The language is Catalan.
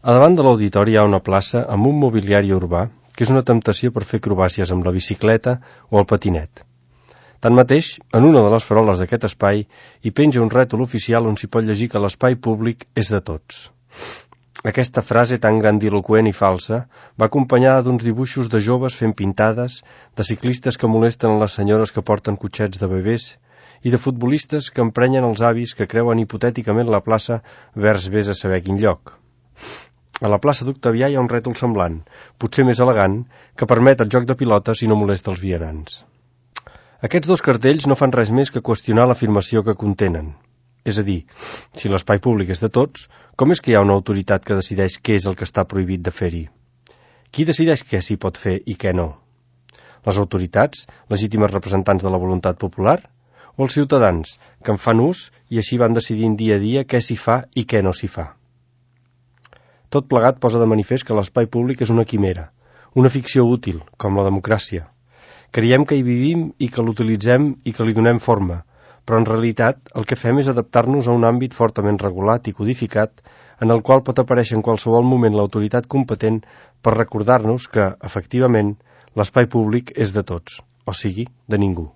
A davant de l'auditori hi ha una plaça amb un mobiliari urbà que és una temptació per fer acrobàcies amb la bicicleta o el patinet. Tanmateix, en una de les faroles d'aquest espai hi penja un rètol oficial on s'hi pot llegir que l'espai públic és de tots. Aquesta frase tan grandiloqüent i falsa va acompanyada d'uns dibuixos de joves fent pintades, de ciclistes que molesten les senyores que porten cotxets de bebès i de futbolistes que emprenyen els avis que creuen hipotèticament la plaça vers vés a saber quin lloc. A la plaça d'Octavià hi ha un rètol semblant, potser més elegant, que permet el joc de pilotes i no molesta els vianants. Aquests dos cartells no fan res més que qüestionar l'afirmació que contenen. És a dir, si l'espai públic és de tots, com és que hi ha una autoritat que decideix què és el que està prohibit de fer-hi? Qui decideix què s'hi pot fer i què no? Les autoritats, legítimes representants de la voluntat popular? O els ciutadans, que en fan ús i així van decidint dia a dia què s'hi fa i què no s'hi fa? Tot plegat posa de manifest que l'espai públic és una quimera, una ficció útil, com la democràcia. Creiem que hi vivim i que l'utilitzem i que li donem forma, però en realitat el que fem és adaptar-nos a un àmbit fortament regulat i codificat en el qual pot aparèixer en qualsevol moment l'autoritat competent per recordar-nos que, efectivament, l'espai públic és de tots, o sigui, de ningú.